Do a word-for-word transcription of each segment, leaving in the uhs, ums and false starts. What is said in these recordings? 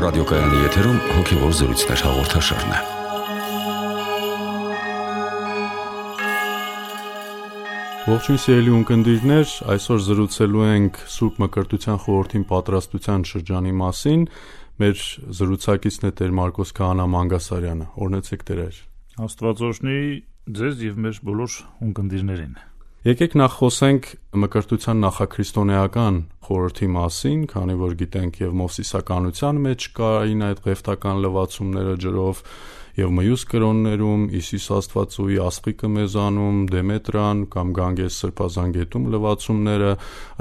ռադիոկայանի եթերում հոգևոր զրույցներ հաղորդաշարն է։ Ողջույն սիրելի ունկնդիրներ, այսօր զրուցելու ենք Սուրբ Մկրտության խորհրդին պատրաստության շրջանի մասին։ Մեր զրուցակիցն է Տեր Մարկոս Քահանա Մանգասարյանը։ Օրհնեցեք Տեր։ Աստված օրհնի ձեզ եւ մեր բոլոր ունկնդիրներին։ Եկեք նախ խոսենք մկրտության նախաքրիստոնեական խորհրդի մասին, քանի որ գիտենք եւ մովսիսականության մեջ կային այդ ղևտական լվացումները ջրով եւ մյուս կրոններում Հիսուս Աստվածուի Ասղիկը մեզանում, Դեմետրան կամ Գանգես Սրբազան գետում լվացումները,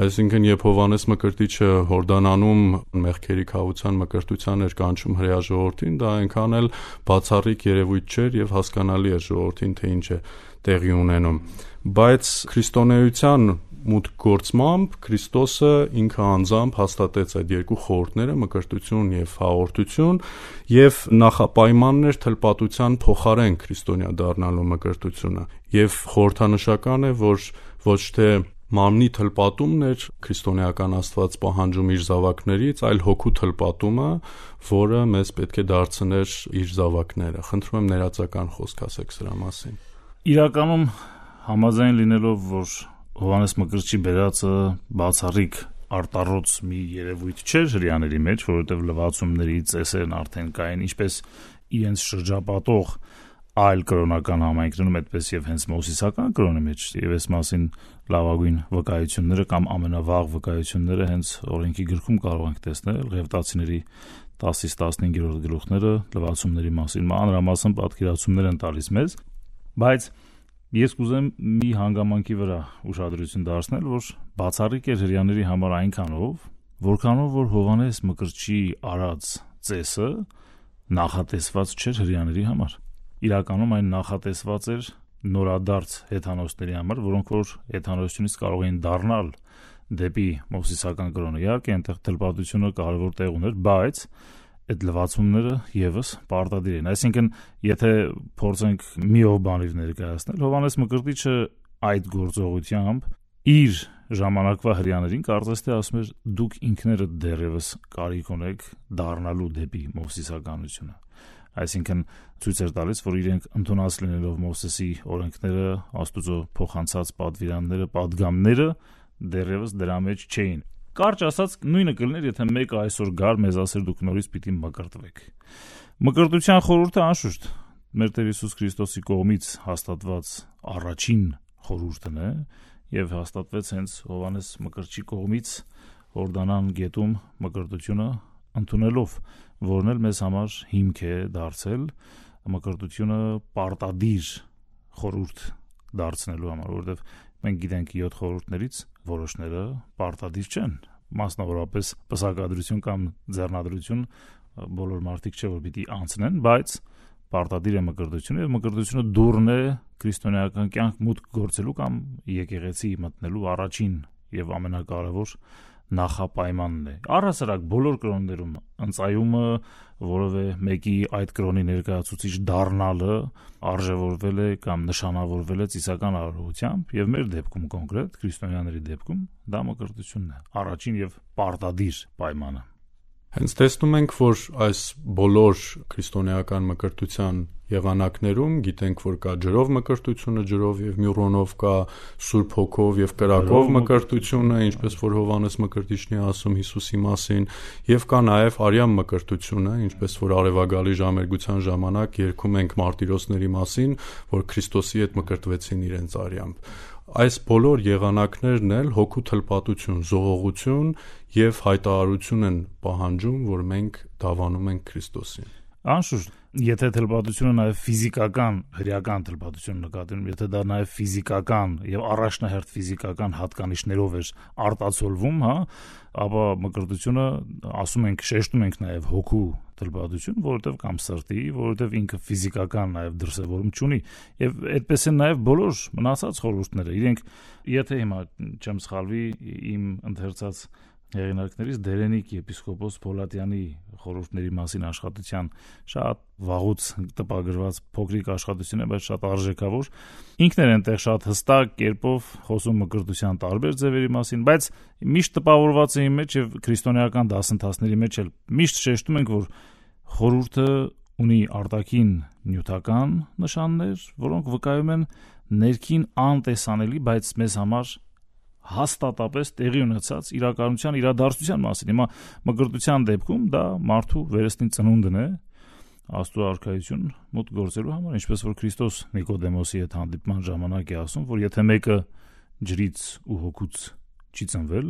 այսինքն երբ Հովհաննես Մկրտիչը Հորդանանում մեղքերի քավության մկրտության էր կանչում հրեա ժողովրդին, դա այնքան էլ բացառիկ երևույթ չէր եւ հասկանալի էր ժողովրդին, թե ինչ է տեղի ունենում։ Բայց քրիստոնեության մուտք գործմամբ Քրիստոսը ինքը անձամբ հաստատեց այդ երկու խորհուրդները՝ մկրտություն եւ հաղորդություն, եւ նախապայմանն էր թլպատության փոխարեն քրիստոնյա դառնալու մկրտությունը։ Եվ խորհրդանշական է, որ ոչ թե մարմնի թլպատումն էր քրիստոնեական Աստված պահանջում իր զավակներից, այլ հոգու թլպատումը, որը մեզ պետք է դարձներ իր զավակները։ Խնդրում եմ ներածական խոսք ասեք սրա մասին։ Իրականում համաձայն լինելով, որ Հովհաննես Մկրտչի բերածը բացառիկ արտառոց մի երևույթ չէր հրեաների մեջ, որովհետև լվացումների ծեսերն արդեն կային, ինչպես իրենց շրջապատող այլ կրոնական համայնքներում, այդպես եւ հենց մովսիսական կրոնի մեջ, եւ այս մասին լավագույն վկայությունները կամ ամենավաղ վկայությունները հենց օրենքի գրքում կարող ենք տեսնել Ղևտացիների տասից տասնհինգերորդ գլուխները լվացումների մասին մանրամասն պատկերացումներ են տալիս մեզ, բայց ես կուզեմ մի հանգամանքի վրա ուշադրություն դարձնել, որ բացառիկ էր հրեաների համար այնքանով, որքանով որ Հովհաննես Մկրտչի արած ծեսը նախատեսված չէր հրեաների համար։ Իրականում այն նախատեսված էր նորադարձ հեթանոսների համար, որոնք որ հեթանոսությունից կարող էին դառնալ դեպի մովսիսական կրոնը։ Իհարկե, այնտեղ թլպատությունը կարևոր տեղ ուներ, բայց այդ լվացումները եւս պարտադիր են։ Այսինքն, եթե փորձենք միով բանիվ ներկայացնել, Հովհաննես Մկրտիչը այդ գործողությամբ իր ժամանակվա հրեաներին կարծես թե ասում էր՝ դուք ինքներդ դեռևս կարիք ունեք դառնալու դեպի մովսիսականությունը։ Այսինքն ցույց էր տալիս, որ իրենք ընդունած լինելով Մովսեսի օրենքները, Աստուծո փոխանցած պատվիրանները, պատգամները դեռևս դրա մեջ չէին։ Կարճ ասած, նույնը կլիներ, եթե մեկը այսօր գար մեզ ասեր դուք նորից պիտի մկրտվեք։ Մկրտության խորհուրդը անշուշտ մեր Տեր Հիսուս Քրիստոսի կողմից հաստատված առաջին խորհուրդն է եւ հաստատվեց հենց Հովհաննես Մկրտչի կողմից Հորդանան գետում մկրտությունը ընդունելով, որն էլ մեզ համար հիմք է դարձել մկրտությունը պարտադիր խորհուրդ դարձնելու համար, որովհետեւ մենք գիտենք յոթ խորհուրդներից որոշները պարտադիր չեն, մասնավորապես պսակադրություն կամ ձեռնադրություն բոլոր մարդիկ չէ որ պիտի անցնեն, բայց պարտադիր է մկրտությունը եւ մկրտությունը դուռն է քրիստոնեական կյանք մուտք գործելու կամ եկեղեցի մտնելու առաջին եւ ամենակարևոր նախապայմանն է։ Առհասարակ բոլոր կրոններում ընծայումը որևէ մեկի այդ կրոնի ներկայացուցիչ դառնալը արժևորվել է կամ նշանավորվել է ծիսական արարողությամբ եւ մեր դեպքում կոնկրետ քրիստոնյաների դեպքում դա մկրտությունն է, առաջին եւ պարտադիր պայմանը։ Հենց տեսնում ենք, որ այս բոլոր քրիստոնեական մկրտության եղանակներում գիտենք, որ կա ջրով մկրտությունը, ջրով եւ մյուրոնով, կա Սուրբ Հոգով եւ կրակով մկրտությունը, ինչպես որ Հովհաննես Մկրտիչն է ասում Հիսուսի մասին, եւ կա նաեւ արյան մկրտությունը, ինչպես որ արևագալի ժամերգության ժամանակ երգում ենք մարտիրոսների մասին, որ Քրիստոսի հետ մկրտվեցին իրենց արյամբ։ Այս բոլոր եղանակներն էլ հոգու թլպատություն, զողողություն եւ հայտարարություն են պահանջում, որ մենք դավանում ենք Քրիստոսին։ Անշուշտ, եթե թլպատությունը նաեւ ֆիզիկական, հրեական թլպատություն նկատի ունեմ, եթե դա նաեւ ֆիզիկական եւ առաջնահերթ ֆիզիկական հատկանիշներով էր արտացոլվում, հա, ապա մկրտությունը ասում ենք, շեշտում ենք նաեւ հոգու թլպատություն, որովհետեւ կամ սրտի, որովհետեւ ինքը ֆիզիկական նաեւ դրսևորում չունի, եւ այդպես են նաեւ բոլոր մնացած խորհուրդները։ Իրենք, եթե հիմա չեմ սխալվի, իմ ընթերցած հեղինակներից Դերենիկ եպիսկոպոս Փոլատյանի խորհուրդների մասին աշխատության շատ վաղուց տպագրված փոքրիկ աշխատություն է, բայց շատ արժեքավոր։ Ինքն էր այնտեղ շատ հստակ կերպով խոսում մկրտության տարբեր ձևերի մասին, բայց միշտ տպավորված է իմ մեջ եւ քրիստոնեական դասընթացների մեջ էլ միշտ շեշտում ենք, որ խորհուրդը ունի արտաքին նյութական նշաններ, որոնք վկայում են ներքին անտեսանելի, բայց մեզ համար հաստատապես տեղի ունեցած իրականության իրադարձության մասին։ Հիմա մկրտության դեպքում դա մարդու վերստին ծնունդն է, Աստծո արքայություն մոտ գործելու համար, ինչպես որ Քրիստոս Նիկոդեմոսի հետ հանդիպման ժամանակ է ասում, որ եթե մեկը ջրից ու հոգուց չի ծնվել,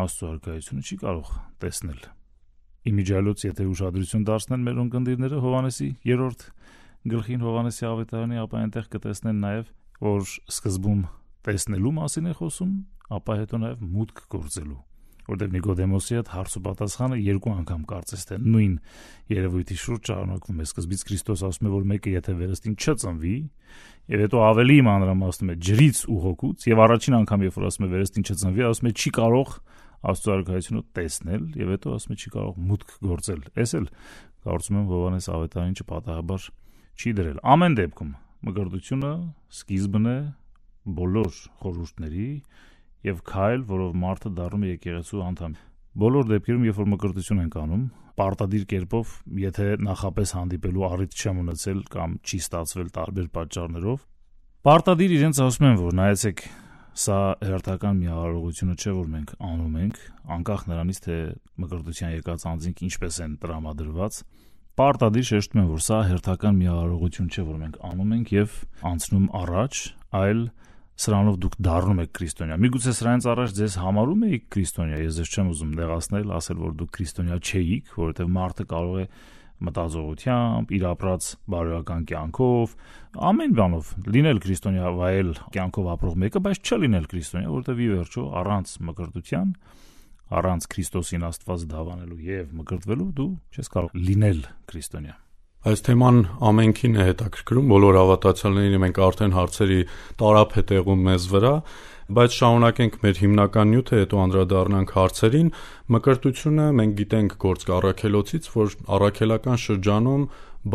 Աստծո արքայությունը չի կարող տեսնել։ Իմիջիալոց եթե ուշադրություն դարձնեն մեր ունկնդիրները Հովհաննեսի երրորդ գլխին Հովհաննեսի ավետարանի, ապա այնտեղ կտեսնեն նաև, որ սկզբում տեսնելու մասին է խոսում, ապա հետո նաև մուտք գործելու, որտեղ Նիկոդեմոսի հետ հարց ու պատասխանը երկու անգամ կարծես թե նույն երևույթի շուրջ շարունակվում է։ Սկզբից Քրիստոս ասում է, որ մեկը եթե վերստին չծնվի, եւ հետո ավելի մանրամասնում է ջրից ու հոգուց, եւ առաջին անգամ երբ որ ասում է վերստին չծնվի, ասում է չի կարող Աստծո արքայությունը տեսնել, եւ հետո ասում է չի կարող մուտք գործել։ Էս էլ կարծում եմ Հովհաննես ավետարանին չպատահաբար չի դրել։ Ամեն դեպքում մկրտությունը սկիզբն է բոլոր խորհուրդների եւ քայլ, որով մարդը դառնում է եկեղեցու անդամ։ Բոլոր դեպքերում, երբ որ մկրտություն ենք անում, պարտադիր կերպով, եթե նախապես հանդիպելու առիթ չեմ ունեցել կամ չի ստացվել տարբեր պատճառներով, պարտադիր իրենց ասում են, որ նայեցեք, սա հերթական մի արարողությունը չէ, որ մենք անում ենք, անկախ նրանից, թե մկրտության եկած անձինք ինչպես են տրամադրված, պարտադիր շեշտում են, որ սա հերթական մի արարողություն չէ, որ մենք անում ենք եւ անցնում առաջ, այլ սրանով դուք դառնում եք քրիստոնյա։ Միգուցե սրանից առաջ ձեզ համարում եք քրիստոնյա, ես ձեզ չեմ ուզում դեղացնել, ասել, որ դուք քրիստոնյա չէիք, որովհետեւ մարդը կարող է մտածողությամբ, իր ապրած բարոյական կյանքով, ամեն բանով լինել քրիստոնյա, վայել կյանքով ապրող մեկը, բայց չլինել քրիստոնյա, որովհետեւ ի վերջո առանց մկրտության, առանց Քրիստոսին Աստված դավանելու եւ մկրտվելու դու չես կարող լինել քրիստոնյա։ Այս թեման ամենքին է հետաքրքրում, բոլոր հավատացյալներին մենք արդեն հարցերի տարափ է տեղում մեզ վրա, բայց շարունակենք մեր հիմնական նյութը, հետո անդրադառնանք հարցերին։ Մկրտությունը մենք գիտենք գործք առաքելոցից, որ առաքելական շրջանում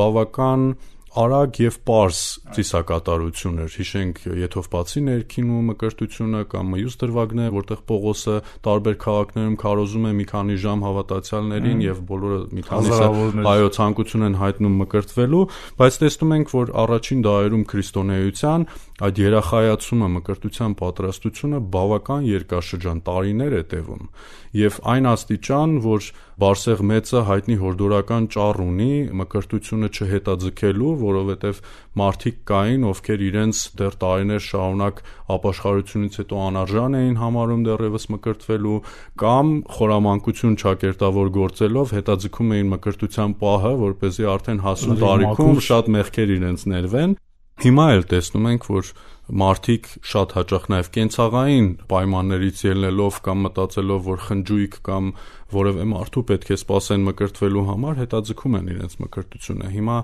բավական արագ եւ պարզ ծիսակատարություն էր։ Հիշենք Եթովպացի ներքինու մկրտությունը կամ մյուս դրվագները, որտեղ Պողոսը տարբեր քաղաքներում քարոզում է մի քանի ժամ հավատացյալներին եւ բոլորը մի քանիսը այո ցանկություն են հայտնում մկրտվելու, բայց տեսնում ենք, որ առաջին դարերում քրիստոնեության այդ երախայացումը, մկրտության պատրաստությունը բավական երկարաշրջան տարիներ է տևում եւ այն աստիճան, որ Բարսեղ մեծը հայտնի հորդորական ճառ ունի մկրտությունը չհետաձգելու, որովհետև մարդիկ կային, ովքեր իրենց դեռ տարիներ շարունակ ապաշխարությունից հետո անարժան էին համարում դեռևս մկրտվելու կամ խորամանկություն չակերտավոր գործելով հետաձգում էին մկրտության պահը, որպեսզի արդեն հասուն տարիքում շատ մեղքեր իրենց ներվեն։ Հիմա էլ տեսնում ենք, որ մարդիկ շատ հաճախ նաև կենցաղային պայմաններից ելնելով կամ մտածելով, որ խնջույք կամ որևէ մարդու պետք է սպասեն մկրտվելու համար, հետաձգում են իրենց մկրտությունը։ Հիմա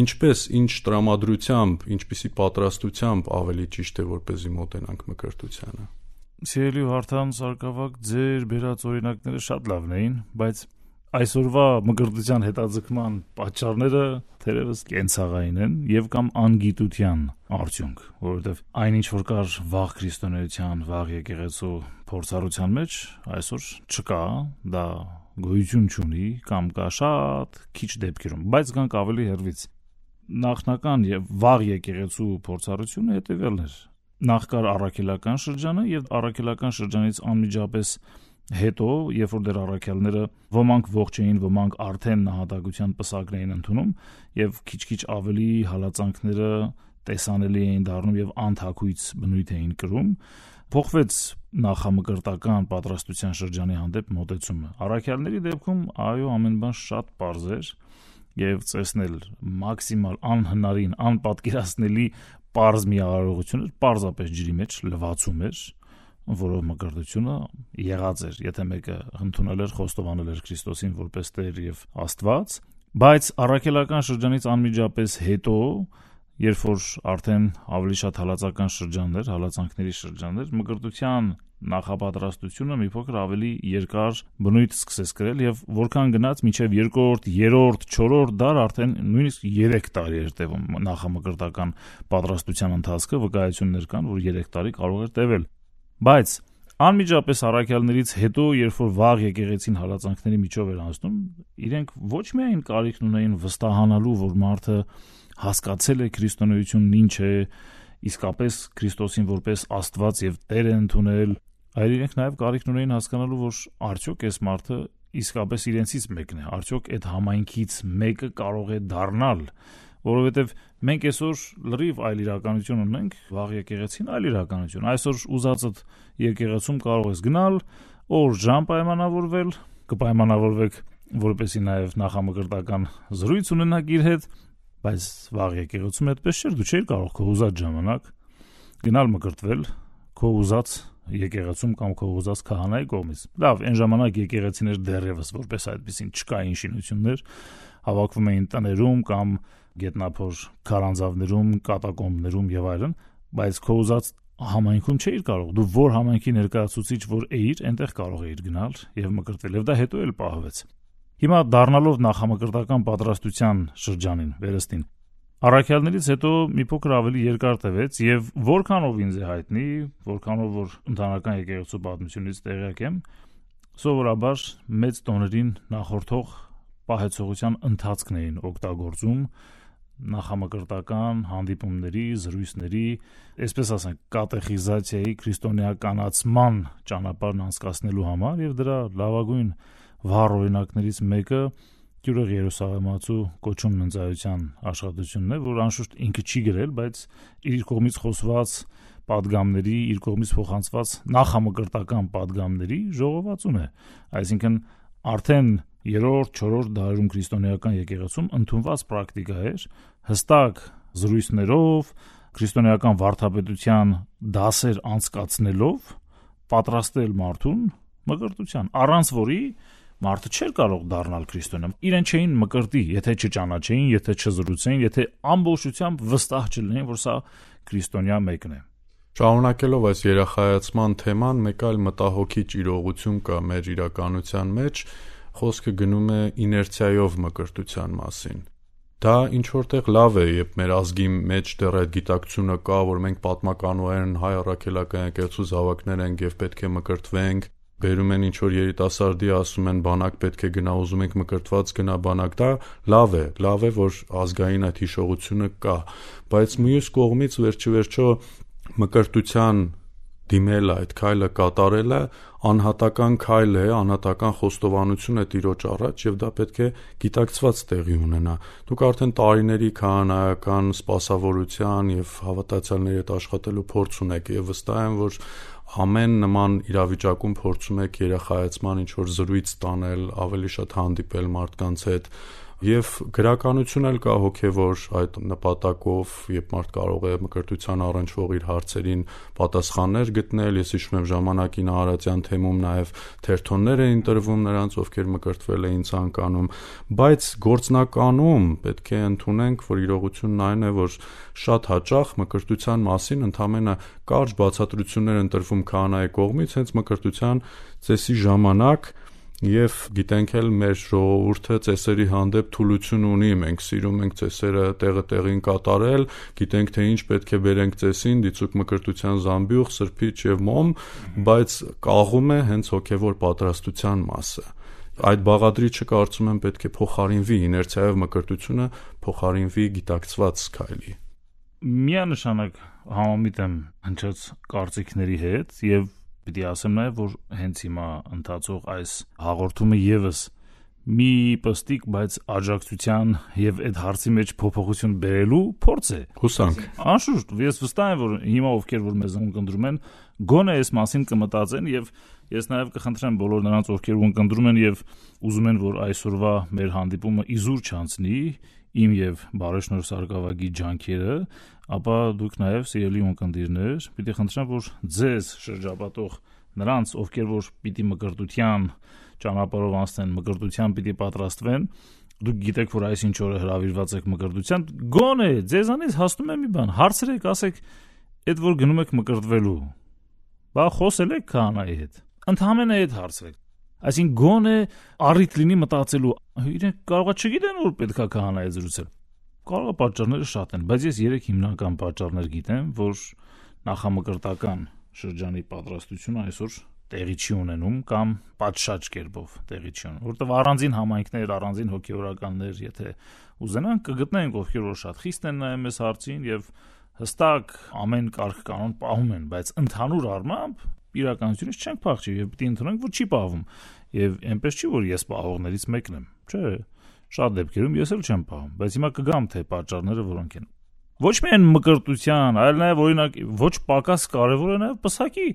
ինչպես, ինչ տրամադրությամբ, ինչպիսի պատրաստությամբ ավելի ճիշտ է, որպեսզի մոտենանք մկրտությանը։ Սիրելի Վարդան Սարգսակ, ձեր բերած օրինակները շատ լավն էին, բայց այսօրվա մկրտության հետաձգման պատճառները թերևս կենցաղային են եւ կամ անգիտության արդյունք, որովհետեւ այնինչ որ կար վաղ քրիստոնեության, վաղ եկեղեցու փորձառության մեջ, այսօր չկա, դա գոյություն չունի կամ կա շատ քիչ դեպքերում, բայց գանք ավելի հեռվից։ Նախնական եւ վաղ եկեղեցու փորձառությունը հետեւյալն էր. նախ կար առաքելական շրջանը եւ առաքելական շրջանից անմիջապես հետո, երբ որ դեռ առաքյալները ոմանք ողջ էին, ոմանք արդեն նահատակության պսակն էին ընդունում եւ քիչ-քիչ ավելի հալածանքները տեսանելի էին դառնում եւ անթակույց բնույթ էին կրում, փոխվեց նախամկրտական պատրաստության շրջանի հանդեպ մոտեցումը։ Առաքյալների դեպքում այո, ամեն բան շատ պարզ էր եւ ծեսնել մաքսիմալ անհնարին, անպատկերացնելի պարզ մի արարողություն էր, պարզապես ջրի մեջ լվացում էր, որով մկրտությունը եղած էր, եթե մեկը ընդունել էր, խոստովանել էր Քրիստոսին որպես Տեր եւ Աստված, բայց առաքելական շրջանից անմիջապես հետո, երբ որ արդեն ավելի շատ հալածական շրջաններ, հալածանքների շրջաններ, մկրտության նախապատրաստությունը մի փոքր ավելի երկար բնույթ սկսեց կրել եւ որքան գնաց մինչեւ երկրորդ, երրորդ, չորրորդ դար արդեն նույնիսկ երեք տարի էր տևում նախամկրտական պատրաստության ընթացքը, վկայություններ կան, որ երեք տարի կարող էր տևել։ Բայց անմիջապես առաքյալներից հետո, երբ որ վաղ եկեղեցին հալածանքների միջով էր անցնում, իրենք ոչ միայն կարիք ունեին վստահանալու, որ մարդը հասկացել է քրիստոնեությունն ինչ է, իսկապես Քրիստոսին որպես Աստված եւ Տեր է ընդունել, այլ իրենք նաեւ կարիք ունեին հասկանալու, որ արդյոք այս մարդը իսկապես իրենցից մեկն է, արդյոք այդ համայնքից մեկը կարող է դառնալ, որովհետեւ մենք այսօր լրիվ այլ իրականություն ունենք, վաղ եկեղեցին այլ իրականություն։ Այսօր ուզածդ եկեղեցում կարող ես գնալ, օր ժամ պայմանավորվել, կպայմանավորվեք, որպեսզի նաև նախամկրտական զրույց ունենաք իր հետ, բայց վաղ եկեղեցում այդպես չէր, դու չէիր կարող քո ուզած ժամանակ գնալ մկրտվել քո ուզած եկեղեցում կամ քո ուզած քահանայի կողմից։ Լավ, այն ժամանակ եկեղեցիներ դեռևս որպես այդպեսին չկային շինություններ, հավաքվում էին տներում կամ գետնափոր քարանձավներում, կատակոմբներում եւ այլն, բայց քո ուզած համայնքում չէիր կարող։ Դու որ համայնքի ներկայացուցիչ որ էիր, այնտեղ կարող էիր գնալ եւ մկրտվել, եւ դա հետո էլ պահվեց։ Հիմա դառնալով նախամկրտական պատրաստության շրջանին, վերստին, առաքյալներից հետո մի փոքր ավելի երկար տևեց եւ որքանով ինձ է հայտնի, որքանով որ ընդհանրական եկեղեցու պատմությունից տեղյակ եմ, սովորաբար մեծ տոներին նախորդող պահեցողության ընթացքն էին օգտագործում նախամկրտական հանդիպումների, զրույցների, այսպես ասենք, կատեխիզացիայի, քրիստոնեականացման ճանապարհն անցկացնելու համար եւ դրա լավագույն վառ օրինակներից մեկը Գյուրեղ Երուսաղեմացու կոչումն ընծայության աշխատությունն է, որ անշուշտ ինքը չի գրել, բայց իր կողմից խոսված պատգամների, իր կողմից փոխանցված նախամկրտական պատգամների ժողովածուն է։ Այսինքն արդեն երրորդ, չորրորդ դարում քրիստոնեական եկեղեցում ընդունված պրակտիկա էր հստակ զրույցներով, քրիստոնեական վարդապետության դասեր անցկացնելով պատրաստել մարդուն մկրտության, առանց որի մարդը չէր կարող դառնալ քրիստոնյա։ Իրեն չէին մկրտի, եթե չճանաչեին, եթե չզրուցեին, եթե ամբողջությամբ վստահ չլինեին, որ սա քրիստոնյա մեկն է։ Շարունակելով այս երախայացման թեման, մեկ այլ մտահոգիչ իրողություն կա մեր իրականության մեջ, խոսքը գնում է իներցիայով մկրտության մասին։ Դա ինչ որտեղ լավ է, երբ մեր ազգի մեջ դեռ այդ գիտակցությունը կա, որ մենք պատմականորեն հայ առաքելական եկեղեցու զավակներ ենք եւ պետք է մկրտվենք, բերում են ինչ որ երիտասարդի, ասում են բանակ պետք է գնա, ուզում ենք մկրտված գնա բանակ, դա լավ է, լավ է, որ ազգային այդ հիշողությունը կա, բայց մյուս կողմից վերջիվերջո մկրտության դիմելը, այդ քայլը կատարելը անհատական քայլ է, անհատական խոստովանություն է Տիրոջ առաջ եւ դա պետք է գիտակցված տեղի ունենա։ Դուք արդեն տարիների քահանայական սպասավորության եւ հավատացյալների հետ աշխատելու փորձ ունեք եւ վստահ եմ, որ ամեն նման իրավիճակում փորձում եք երախայացման ինչ որ զրույց տանել, ավելի շատ հանդիպել մարդկանց հետ եւ գրականություն էլ կա հոգեվոր այդ նպատակով, երբ մարդ կարող է մկրտության առնչվող իր հարցերին պատասխաններ գտնել։ Ես հիշում եմ ժամանակին Արարատյան թեմում նաեւ թերթոններ էին տրվում նրանց, ովքեր մկրտվել էին ցանկանում, բայց գործնականում պետք է ընդունենք, որ իրողությունն այն է, որ շատ հաճախ մկրտության մասին ընդամենը կարճ բացատրություններ են տրվում քահանայի կողմից հենց մկրտության ծեսի ժամանակ։ Եվ գիտենք էլ մեր ժողովուրդը ծեսերի հանդեպ թուլություն ունի, մենք սիրում ենք ծեսերը տեղը տեղին կատարել, գիտենք թե ինչ պետք է բերենք ծեսին, դիցուկ մկրտության զամբյուղ, սրբիչ եւ մոմ, բայց կաղում է հենց հոգեվոր պատրաստության մասը։ Այդ բաղադրիչը կարծում եմ պետք է փոխարինվի, իներցիայով մկրտությունը փոխարինվի գիտակցված քայլի։ Միանշանակ համամիտ եմ հնչած կարծիքների հետ եւ Պիտի ասեմ նաև, որ հենց հիմա ընթացող այս հաղորդումը եւս մի պստիկ, բայց աջակցության եւ այդ հարցի մեջ փոփոխություն բերելու փորձ է։ Հուսանք։ Անշուշտ, ես վստահ եմ, որ հիմա ովքեր որ մեզ ընկնդրում են, գոնե այս մասին կմտածեն եւ ես նաև կխնդրեմ բոլոր նրանց, ովքեր ընկնդրում են եւ ուզում են, որ այսօրվա մեր հանդիպումը իզուր չանցնի, իմ եւ Բարեշնոր Սարգսակի ջանքերը, ապա դուք նաև սիրելի ունկնդիրներ, պիտի խնդրեմ, որ ձեզ շրջապատող նրանց, ովքեր որ պիտի մկրտության ճանապարհով անցնեն, մկրտության պիտի պատրաստվեն, դուք գիտեք, որ այսինչ օրը հրավիրված եք մկրտության, գոնե ձեզանից հասնում է մի բան, հարցրեք, ասեք, այդ որ գնում եք մկրտվելու, բա խոսել եք քահանայի հետ, ընդհանրապես այդ հարցրեք։ Այսինքն գոնե առիթ լինի մտածելու, իրենք կարողա չգիտեն, որ պետքա քահանայի զրուցել։ Կարող է պատճառները շատ են, բայց ես երեք հիմնական պատճառներ գիտեմ, որ նախամկրտական շրջանի պատրաստությունը այսօր տեղի չի ունենում կամ պատշաճ կերպով տեղի չի ունենում, որովհետև առանձին համայնքներ, առանձին հոգևորականներ, եթե ուզենան, կգտնենք, ովքեր որ շատ խիստ են նայում այս հարցին եւ հստակ ամեն կարգ կանոն պահում են, բայց ընդհանուր առմամբ իրականությունից չենք փախչի եւ պիտի ընդունենք, որ չի պահվում։ Եվ այնպես չի, որ ես պահողներից մեկն եմ, չէ, շատ դեպքերում ես էլ չեմ պահում, բայց հիմա կգամ թե պատճառները որոնք են։ Ոչ միայն մկրտության, այլ նաեւ օրինակ ոչ պակաս կարեւոր է նաեւ պսակի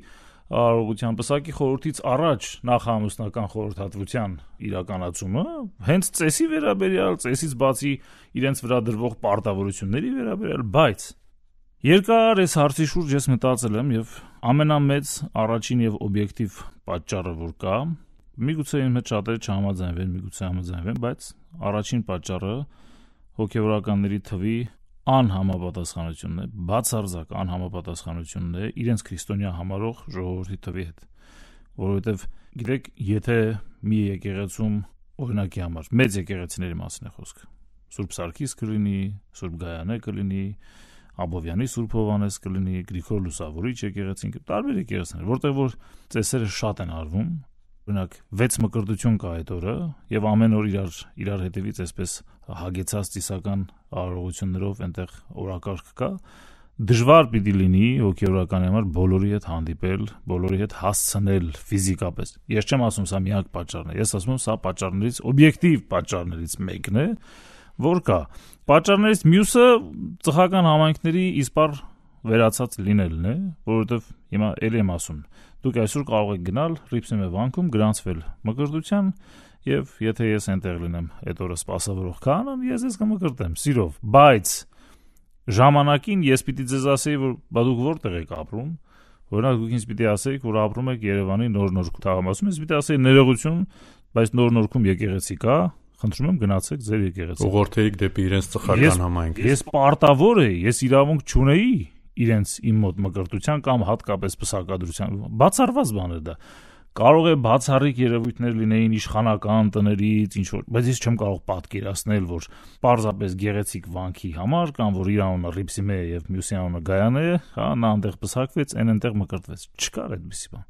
արարողության, պսակի խորհրդից առաջ նախամուսնական խորհրդատվության իրականացումը, հենց ծեսի վերաբերյալ, ծեսից բացի իրենց վրա դրվող պարտավորությունների վերաբերյալ, բայց երկար այս հարցի շուրջ ես մտածել եմ եւ ամենամեծ առաջին եւ օբյեկտիվ պատճառը որ կա, միգուցե ինձ հետ շատերը չհամաձայնվեն, միգուցե համաձայնվեն, բայց առաջին պատճառը հոգևորականների թվի անհամապատասխանությունն է, բացարձակ անհամապատասխանությունն է իրենց քրիստոնյա համարող ժողովրդի թվի հետ, որովհետև գիտեք, եթե մի եկեղեցում օրինակի համար մեծ եկեղեցիների մասին է խոսքը, Սուրբ Սարգիս կլինի, Սուրբ Գայանե կլինի, Աբովյանի Սուրբ Հովանես կլինի, Գրիգոր Լուսավորիչ եկեղեցին, տարբեր եկեղեցիներ, որտեղ որ ծեսերը շատ են արվում, օրինակ վեց մկրտություն կա այդ օրը եւ ամեն օր իրար իրար հետևից այսպես հագեցած ծիսական արարողություններով այնտեղ օրակարգ կա, դժվար պիտի լինի հոգեորականի համար բոլորի հետ հանդիպել, բոլորի հետ հասցնել ֆիզիկապես։ Ես չեմ ասում սա միակ պատճառն է, ես ասում եմ սա պատճառներից օբյեկտիվ պատճառներից մեկն է, որ կա։ Պատճառներից մյուսը ծխական համայնքների իսպար վերացած լինելն է, որովհետև հիմա ելի եմ ասում, դուք այսօր կարող եք գնալ Ռիփսիմե վանքում գրանցվել մկրտության եւ եթե ես այնտեղ լինեմ այդ օրը սպասավորող քահանան, ես ես կմկրտեմ սիրով, բայց ժամանակին ես պիտի ձեզ ասեի, որ բա դուք որտեղ եք ապրում, օրինակ դուք ինձ պիտի ասեիք, որ ապրում եք Երևանի Նոր Նորք թաղամասում, ես պիտի ասեի ներողություն, բայց Նոր Նորքում եկեղեցի կա, խնդրում եմ գնացեք ձեր եկեղեցի։ Ուղղորդեիք դեպի իրենց ծխական համայնք։ Ես պարտավոր էի, ես իրավունք չունեի իրենց իմ մոտ մկրտության կամ հատկապես պսակադրության, բացառված բան է դա։ Կարող է բացառիկ երևույթներ լինեին իշխանական տներից, ինչ որ, բայց ես չեմ կարող պատկերացնել, որ պարզապես գեղեցիկ վանքի համար կամ որ իր անունը Ռիփսիմե է եւ մյուսի անունը Գայանե է, հա, նա այնտեղ պսակվեց, այն այնտեղ մկրտվեց։ Չկար այդպիսի բան։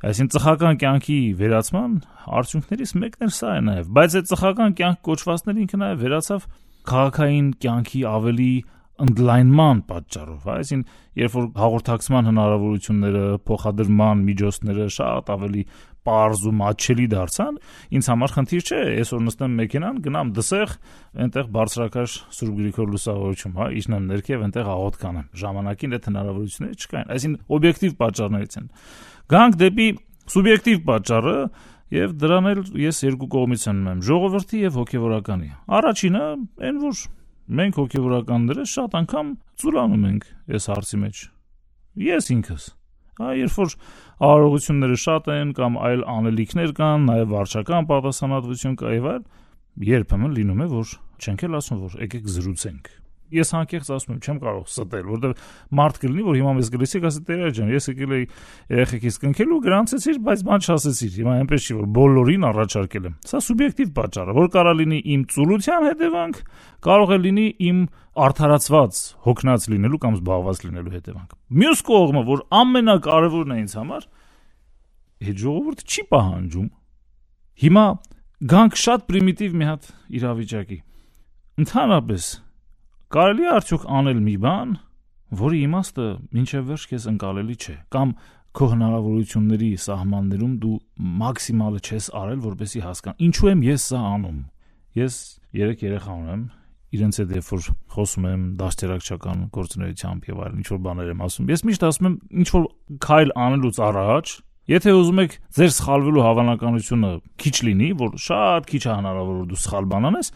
Այսինքն ծխական կյանքի վերացման արդյունքներից մեկն էլ սա է նաեւ, բայց այդ ծխական կյանք կոչվածները ինքը նաեւ վերացավ քաղաքային կյանքի ավելի ընդլայնման պատճառով, այսինքն երբ որ հաղորդակցման հնարավորությունները, փոխադրման միջոցները շատ ավելի պարզ ու մատչելի դարձան, ինձ համար խնդիր չէ, այսօր նստեմ մեքենան, գնամ դսեղ, այնտեղ բարձրակաշ Սուրբ Գրիգոր Լուսավորիչում, հա, իջնեմ ներքև, այնտեղ աղոթ կանեմ։ Ժամանակին այդ հնարավորությունները չկային, այսինքն օբյեկտիվ պատճառներից են։ Գանք դեպի սուբյեկտիվ պատճառը եւ դրան էլ ես երկու կողմից եմ ունեմ՝ ժողովրդի եւ հոգեվորականի։ Առաջինը այն որ մենք հոգեվորականները շատ անգամ ծուլանում ենք այս հարցի մեջ։ Ես ինքս, հա, երբ որ արարողությունները շատ են կամ այլ անելիքներ կան, նաև վարչական պատասխանատվություն կա եւ այլ, երբեմն լինում է, որ չենք էլ ասում, որ եկեք զրուցենք։ Ես անկեղծ ասում եմ, չեմ կարող ստել, որովհետեւ մարդ կլինի, որ հիմա մեզ գլիսիկ ասի տերը ջան, ես եկել էի երեխեքից կնքելու, գրանցեցիր, բայց բան չասեցիր։ Հիմա այնպես չի, որ բոլորին առաջարկել եմ։ Սա սուբյեկտիվ պատճառ է, որ կարա լինի իմ ծուլության հետևանք, կարող է լինի իմ արդարացված, հոգնած լինելու կամ զբաղված լինելու հետևանք։ Մյուս կողմը, որ ամենակարևորն է ինձ համար, այդ ժողովուրդը չի պահանջում։ Հիմա գանք շատ պրիմիտիվ մի հատ իրավիճակի։ Ընդհանրապես կարելի է արդյոք անել մի բան, որի իմաստը մինչև վերջ քեզ ընկալելի չէ, կամ քո հնարավորությունների սահմաններում դու մաքսիմալը չես արել, որպեսզի հասկանա։ Ինչու եմ ես սա անում։ Ես երեք երեխա ունեմ, իրենց հետ երբ որ խոսում եմ դաստիարակչական գործունեությամբ եւ այլն, ինչ որ բաներ եմ ասում։ Ես միշտ ասում եմ, ինչ որ քայլ անելուց առաջ, եթե ուզում եք ձեր սխալվելու հավանականությունը քիչ լինի, որ շատ քիչ է հնարավոր որ դու սխալ բան անես,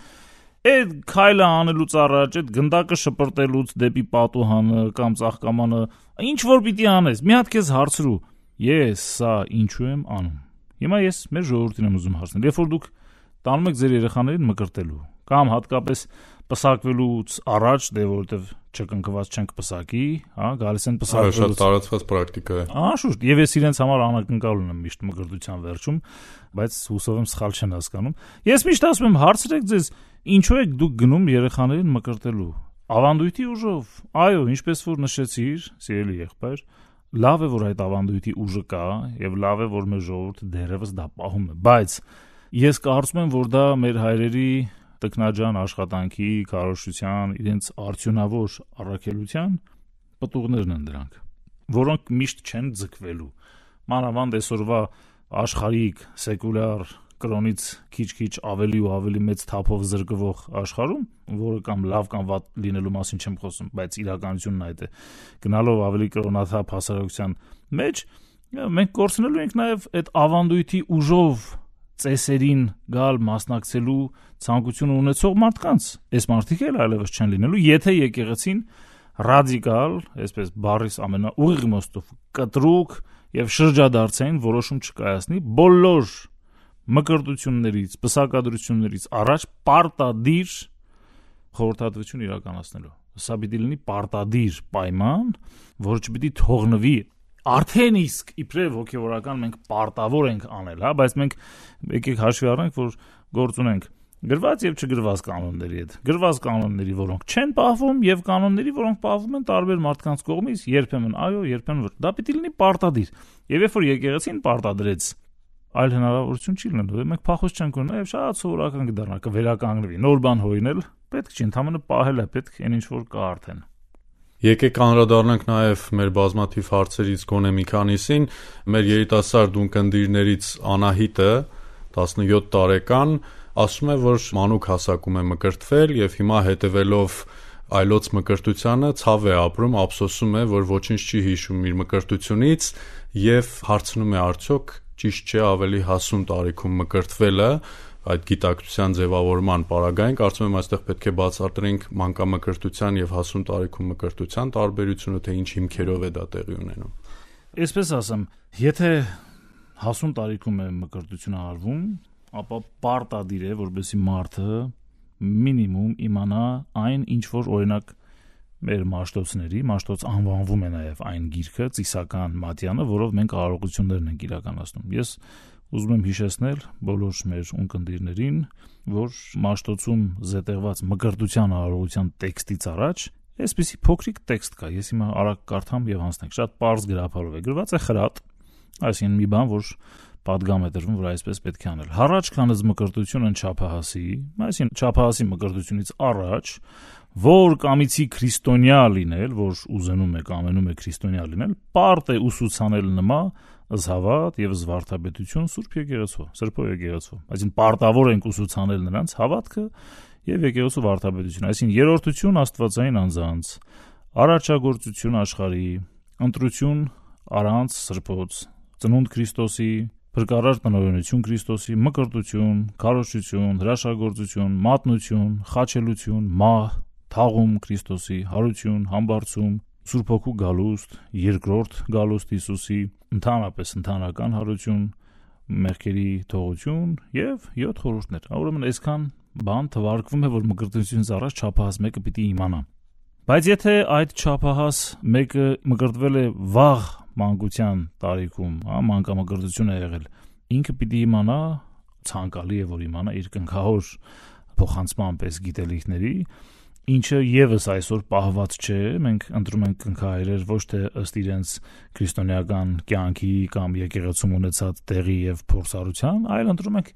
այդ քայլը անելուց առաջ, այդ գնդակը շպրտելուց դեպի պատուհանը կամ ծաղկամանը, ինչ որ պիտի անես, մի հատ քեզ հարցրու, ես սա ինչու եմ անում։ Հիմա ես մեր ժողովրդին եմ ուզում հարցնել, երբ որ դուք տանում եք ձեր երեխաներին մկրտելու, կամ հատկապես պսակվելուց առաջ, դե որովհետև չկնքված չենք պսակի, հա, գալիս են պսակվելուց։ Շատ տարածված պրակտիկա է։ Անշուշտ, եւ ես իրենց համար անակնկալ ունեմ միշտ մկրտության վերջում, բայց հուսով եմ սխալ չեն հասկանում։ Ես միշտ ասում եմ, հարցրեք ձեզ, ինչու եք դուք գնում երեխաներին մկրտելու։ Ավանդույթի ուժով։ Այո, ինչպես որ նշեցիր, սիրելի եղբայր, լավ է որ այդ ավանդույթի ուժը կա եւ լավ է որ մեր ժողովուրդը դեռևս դա պահում է, բայց ես կարծում եմ, որ դա մեր հայրերի տքնաջան աշխատանքի, քարոզչության, իրենց արդյունավոր առաքելության պտուղներն են դրանք, որոնք միշտ չեն ձգվելու։ Մանավանդ այսօրվա աշխարհիկ սեկուլյար կրոնից քիչ-քիչ ավելի ու ավելի մեծ թափով զրկվող աշխարհում, որը կամ լավ կամ վատ լինելու մասին չեմ խոսում, բայց իրականությունն այդ է։ Գնալով ավելի կրոնաթափ հասարակության մեջ, մենք կորցնելու ենք նաև այդ ավանդույթի ուժով ծեսերին գալ մասնակցելու ցանկություն ունեցող մարդկանց։ Այս մարդիկ էլ այլևս չեն լինելու, եթե եկեղեցին ռադիկալ, այսպես բառիս ամենաուղիղ իմաստով կտրուկ եւ շրջադարձային որոշում չկայացնի բոլոր մկրտություններից, պսակադրություններից առաջ պարտադիր խորհրդատվություն իրականացնելու։ Սա պիտի լինի պարտադիր պայման, որը չպիտի թողնվի։ Արդեն իսկ իբրև հոգևորական մենք պարտավոր ենք անել, հա, բայց մենք եկեք հաշվի առնենք, որ գործ ունենք գրված եւ չգրված կանոնների հետ։ Գրված կանոնների, որոնք չեն պահվում, եւ կանոնների, որոնք պահվում են տարբեր մարդկանց կողմից, երբեմն այո, երբեմն ոչ։ Դա պիտի լինի պարտադիր։ Եվ երբ որ եկեղեցին պարտադրեց, այլ հնարավորություն չի լինելու։ Մենք փախոս չենք ունենա եւ շատ սովորական կդառնա, կվերականգնվի։ Նոր բան հորինել պետք չի, ընդհանրապես պահել է պետք, այն ինչ որ կա արդեն։ Եկեք անդրադառնանք նաև մեր բազմաթիվ հարցերից գոնե մի քանիսին։ Մեր երիտասարդ ունկնդիրներից Անահիտը, տասնյոթ տարեկան, ասում է, որ մանուկ հասակում է մկրտվել եւ հիմա հետևելով այլոց մկրտությանը ցավ է ապրում, ափսոսում է, որ ոչինչ չի հիշում իր մկրտությունից եւ հարցնում է արդյոք ճիշտ չէ ավելի հասուն տարիքում մկրտվելը այդ գիտակցության ձևավորման պարագային, կարծում եմ այստեղ պետք է բացատրենք մանկամկրտության եւ հասուն տարիքում մկրտության տարբերությունը, թե ինչ հիմքերով է դա տեղի ունենում։ Այսպես ասեմ, եթե հասուն տարիքում է մկրտությունը արվում, ապա պարտադիր է, որպեսզի մարդը մինիմում իմանա այն, ինչ որ օրինակ մեր մաշտոցների, մաշտոց անվանվում է նաև այն գիրքը, ծիսական մատյանը, որով մենք արարողություններն ենք իրականացնում։ Ես ուզում եմ հիշեցնել բոլոր մեր ունկնդիրներին, որ մաշտոցում զետեղված մկրտության արարողության տեքստից առաջ այսպիսի փոքրիկ տեքստ կա։ Ես հիմա արագ կարդամ եւ հանձնենք։ Շատ պարզ գրափարով է գրված, է խրատ, այսինքն մի բան, որ պատգամ է դրվում, որ այսպես պետք է անել։ Հառաջ քանыз մկրտությունն չափահասի, այսինքն չափահասի մկրտությունից առաջ, որ կամիցի քրիստոնյա լինել, որ ուզենում է կամենում է քրիստոնյա լինել, պարտ է ուսուցանել նմա զհավատ եւ զվարթապետություն Սուրբ եկեղեցու, Սրբո եկեղեցու։ Այսինքն պարտավոր ենք ուսուցանել նրանց հավատքը եւ եկեղեցու վարդապետություն, այսինքն երրորդություն աստվածային անձանց, առաջագործություն աշխարհի, ընտրություն առանց սրբոց, ծնունդ Քրիստոսի, փրկարար տնօրինություն Քրիստոսի, մկրտություն, քարոզչություն, հրաշագործություն, մատնություն, խաչելություն, մահ, թաղում Քրիստոսի, հարություն, համբարձում, Սուրբ Հոգու գալուստ, երկրորդ գալուստ Հիսուսի, ընդհանրապես ընդհանրական հարություն, մեղքերի թողություն եւ յոթ խորհուրդներ։ Ուրեմն այսքան բան թվարկվում է, որ մկրտությունից առաջ չափահաս մեկը պիտի իմանա։ Բայց եթե այդ չափահաս մեկը մկրտվել է վաղ մանկության տարիքում, հա, մանկամկրտություն է եղել, ինքը պիտի իմանա, ցանկալի է որ իմանա իր կնքահոր փոխանցման պես գիտելիքների, ինչը եւս այսօր պահված չէ, մենք ընտրում ենք կնքահայրեր ոչ թե ըստ իրենց քրիստոնեական կյանքի կամ եկեղեցում ունեցած տեղի եւ փորձառության, այլ ընտրում ենք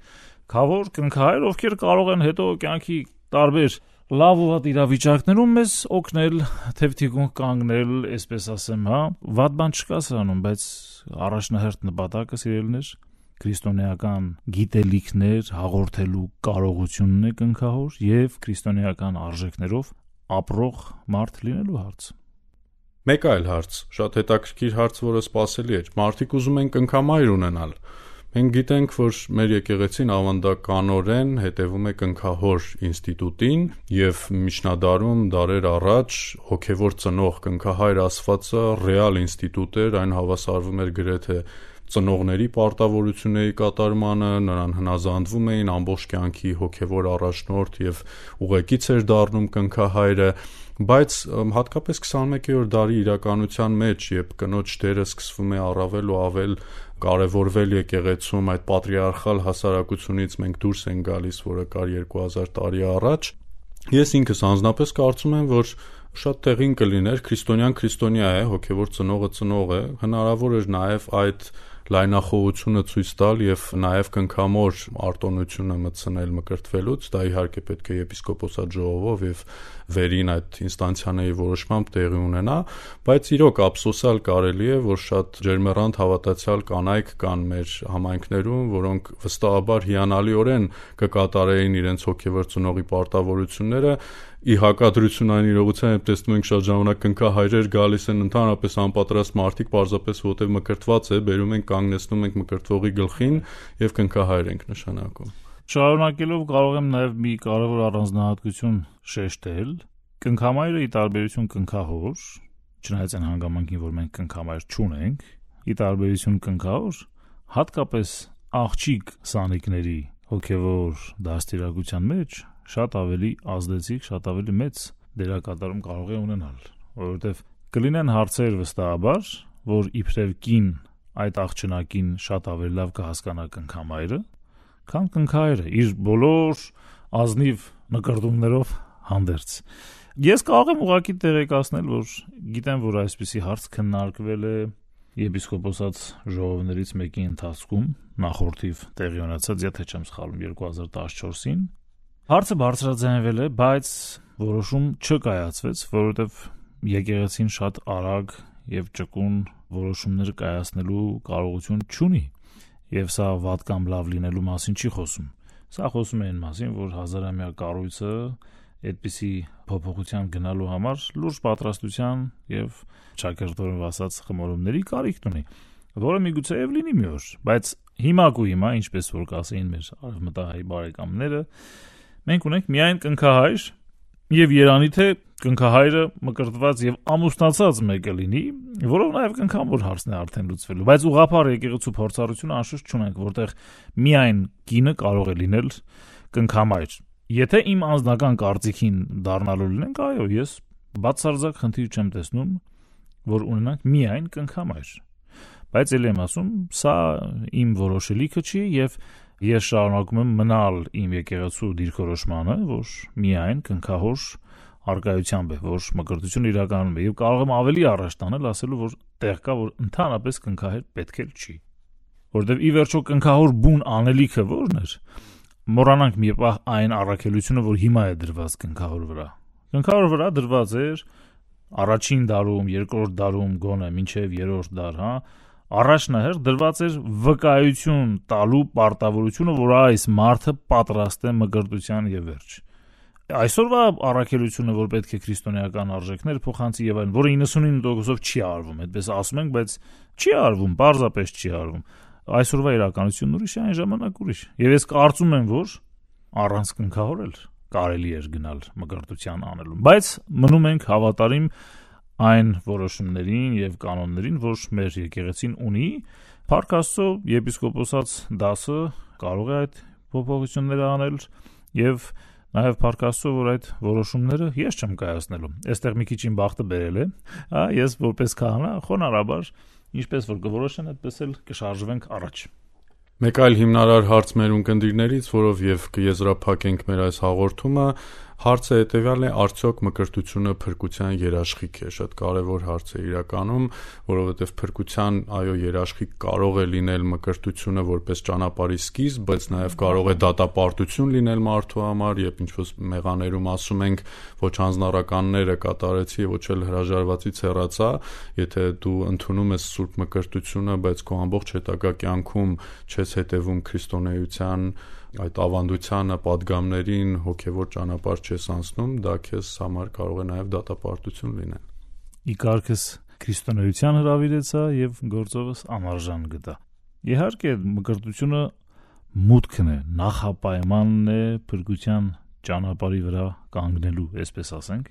քավոր կնքահայր, ովքեր կարող են հետո կյանքի տարբեր լավ ու վատ իրավիճակներում մեզ օգնել, թեւթիկուն կանգնել, այսպես ասեմ, հա, վատ բան չկա սրանում, բայց առաջնահերթ նպատակը սիրելիներ քրիստոնեական գիտելիքներ հաղորդելու կարողությունն է կնքահոր եւ քրիստոնեական արժեքներով ապրող մարդ լինելու հարց։ Մեկ այլ հարց, շատ հետաքրքիր հարց, որը սպասելի էր։ Մարդիկ ուզում են կնքամայր ունենալ։ Մենք գիտենք, որ մեր եկեղեցին ավանդականորեն հետևում է կնքահոր ինստիտուտին եւ միջնադարում դարեր առաջ հոգեվոր ծնող կնքահայր ասվածը ռեալ ինստիտուտ էր, այն հավասարվում էր գրեթե ծնողների պարտավորությունների կատարմանը, նրան հնազանդվում էին, ամբողջ կյանքի հոգևոր առաջնորդ եւ ուղեկից էր դառնում կնքահայրը, բայց հատկապես քսանմեկերորդ դարի իրականության մեջ, երբ կնոջ դերը սկսվում է առավել ու ավել կարևորվել եկեղեցում, այդ պատրիարխալ հասարակությունից մենք դուրս ենք գալիս, որը կար երկու հազար տարի առաջ, ես ինքս անձնապես կարծում եմ, որ շատ տեղին կլիներ, քրիստոնյան քրիստոնյա է, հոգևոր ծնողը ծնող է, հնարավոր էր նաև այդ լայնախոհությունը ցույց տալ եւ նաեւ կնքամոր արտոնությունը մտցնել մկրտվելուց, դա իհարկե պետք է եպիսկոպոսատ ժողովով եւ վերին այդ ինստանցիաների որոշմամբ տեղի ունենա, բայց իրոք ափսոսալ կարելի է, որ շատ ջերմեռանդ հավատացյալ կանայք կան մեր համայնքներում, որոնք վստահաբար հիանալիորեն կկատարեին իրենց հոգևոր ծնողի պարտավորությունները, ի հակադրություն այն իրողության, երբ տեսնում ենք շատ ժամանակ կնքահայրեր գալիս են ընդհանրապես անպատրաստ մարդիկ, պարզապես որտեղ մկրտված է, բերում ենք կանգնեցնում ենք մկրտվողի գլխին եւ կնքահայր ենք նշանակում։ Շարունակելով կարող եմ նաեւ մի կարևոր առանձնահատկություն շեշտել, կնքամայրը ի տարբերություն կնքահոր, չնայած այն հանգամանքին, որ մենք կնքամայր չունենք, ի տարբերություն կնքահոր, հատկապես աղջիկ սանիկների հոգևոր դաստիարակության մեջ շատ ավելի ազդեցիկ, շատ ավելի մեծ դերակատարում կարող է ունենալ, որովհետև կլինեն հարցեր վստահաբար, որ իբրև կին այդ աղջնակին շատ ավելի լավ կհասկանա կնքամայրը, քան կնքահայրը իր բոլոր ազնիվ նկրտումներով հանդերձ։ Ես կարող եմ ուղղակի տեղեկացնել, որ գիտեմ, որ այսպիսի հարց քննարկվել է եպիսկոպոսատ ժողովներից մեկի ընթացքում, նախորդիվ տեղի ունեցած, եթե չեմ սխալվում, երկու հազար տասնչորսին Հարցը բարձրաձայնվել է, բայց որոշում չկայացվեց, որովհետև եկեղեցին շատ արագ եւ ճկուն որոշումներ կայացնելու կարողություն չունի, եւ սա վատ կամ լավ լինելու մասին չի խոսում։ Սա խոսում է այն մասին, որ հազարամյա կառույցը այդպիսի փոփոխության գնալու համար լուրջ պատրաստության եւ ճակերտորով ասած խմորումների կարիք ունի, որը միգուցե եւ լինի մի օր, բայց հիմա կու հիմա, ինչպես որ կասեին մեր արևմտահայ բարեկամները, մենք ունենք միայն կնքահայր եւ երանի թե կնքահայրը մկրտված եւ ամուսնացած մեկը լինի, որով նաեւ կնքամոր հարցն է արդեն լուծվելու, բայց ուղղափառ եկեղեցու փորձառությունը անշուշտ չունենք, որտեղ միայն կինը կարող է լինել կնքամայր։ Եթե իմ անձնական կարծիքին դառնալու լինենք, այո, ես բացարձակ խնդիր չեմ տեսնում, որ ունենանք միայն կնքամայր։ Բայց ելի եմ ասում, սա իմ որոշելիքը չի եւ ես շարունակում եմ մնալ իմ եկեղեցու դիրքորոշմանը, որ միայն կնքահոր արկայությամբ է, որ մկրտություն իրականում է, եւ կարող եմ ավելի առաջ տանել, ասելու, որ տեղ կա, որ ընդհանրապես կնքահայր պետք էլ չի, որովհետեւ ի վերջո կնքահոր բուն անելիքը ո՞րն էր։ Մոռանանք մի պահ այն առաքելությունը, որ հիմա է դրված կնքահոր վրա։ Կնքահոր վրա դրված էր առաջին դարում, երկրորդ դարում, գոնե մինչև երրորդ դար, հա, առաջնահերթ դրված էր վկայություն տալու պարտավորությունը, որ այս մարդը պատրաստ է մկրտության եւ վերջ։ Այսօրվա առաքելությունը, որ պետք է քրիստոնեական արժեքներ փոխանցի եւ այլն, որը իննսունինը տոկոսով չի արվում, այդպես ասում ենք, բայց չի արվում, պարզապես չի արվում։ Այսօրվա իրականությունն ուրիշ է, այն ժամանակ ուրիշ։ Եվ ես կարծում եմ, որ առանց կնքահորել կարելի էր գնալ մկրտության անելուն, բայց մնում ենք հավատարիմ այն որոշումներին եւ կանոններին, որ մեր եկեղեցին ունի, Փառք Աստծո, եպիսկոպոսած դասը կարող է այդ փոփոխությունները անել եւ նաեւ Փառք Աստծո, որ այդ որոշումները ես չեմ կայացնելու։ Այստեղ մի քիչ իմ բախտը բերել է, հա, ես որպես քահանա խոնարհաբար, ինչպես որ կորոշեն, այդպես էլ կշարժվենք առաջ։ Մեկ այլ հիմնարար հարց մեր ունկնդիրներից, որով եւ կեզրափակենք մեր այս հաղորդումը, հարցը հետեւյալն է, արդյոք մկրտությունը փրկության երաշխիք է։ Շատ կարեւոր հարց է իրականում, որովհետեւ փրկության, այո, երաշխիք կարող է լինել մկրտությունը որպես ճանապարհի սկիզբ, բայց նաեւ կարող է դատապարտություն լինել մարդու համար, երբ ինչ-որ մեղաներում ասում ենք, ոչ հանձնարարականները կատարեցի, ոչ էլ հրաժարվածից հեռացա, եթե դու ընդունում ես սուրբ մկրտությունը, բայց քո ամբողջ հետագա կյանքում չես հետևում քրիստոնեության այդ ավանդությանը, պատգամներին, հոգևոր ճանապարհ չես անցնում, դա քեզ համար կարող է նաև դատապարտություն լինել։ Ի կարգս քրիստոնեության հրավիրեցա եւ գործովս անարժան գտա։ Իհարկե, մկրտությունը մուտքն է, նախապայմանն է փրկության ճանապարհի վրա կանգնելու, այսպես ասենք,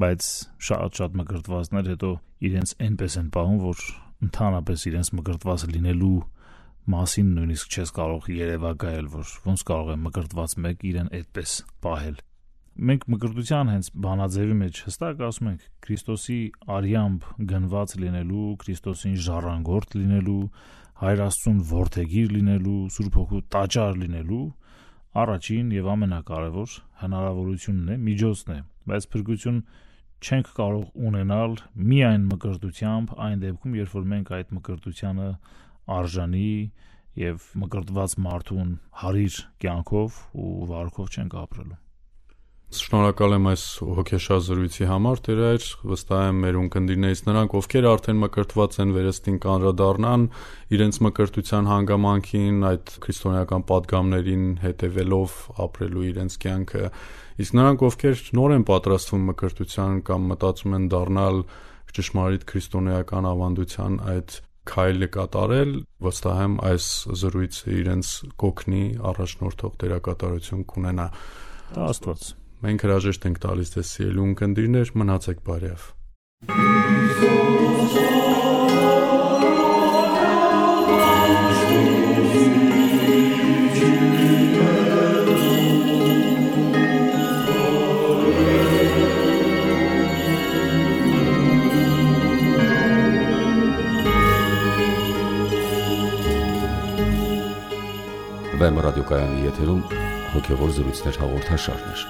բայց շատ-շատ մկրտվածներ հետո իրենց այնպես են պահում, որ ընդհանրապես իրենց մկրտված լինելու մասին նույնիսկ չես կարող երևակայել, որ ոնց կարող է մկրտված մեկ իրեն այդպես պահել։ Մենք մկրտության հենց բանաձևի մեջ հստակ ասում ենք Քրիստոսի արյամբ գնված լինելու, Քրիստոսին ժառանգորդ լինելու, Հայր Աստծուն որդեգիր լինելու, Սուրբ Հոգու տաճար լինելու առաջին եւ ամենակարևոր հնարավորությունն է, միջոցն է, բայց փրկություն չենք կարող ունենալ միայն մկրտությամբ, այն դեպքում, երբ որ մենք այդ մկրտությանը արժանի եւ մկրտված մարդուն հարիր կյանքով ու վարքով չենք ապրելու։ Շնորհակալ եմ այս հոգեշար զրույցի համար, Տեր, վստահ եմ մեր ունկնդիրներից նրանք, ովքեր արդեն մկրտված են, վերստին կանդրադառնան իրենց մկրտության հանգամանքին, այդ քրիստոնեական պատգամներին հետևելով ապրելու իրենց կյանքը, իսկ նրանք, ովքեր նոր են պատրաստվում մկրտության կամ մտածում են դառնալ ճշմարիտ քրիստոնեական ավանդության այդ քայլը կատարել, վստահ եմ այս զրույցը իրենց կօգնի առաջնորդող դերակատարություն կունենա։ Դա Աստված։ Մենք հրաժեշտ ենք տալիս ձեզ սիրելի ունկնդիրներ, մնացեք բարև։ Վեմ ռադիոկայանի եթերում հոգևոր զրույցներ հաղորդաշարներ։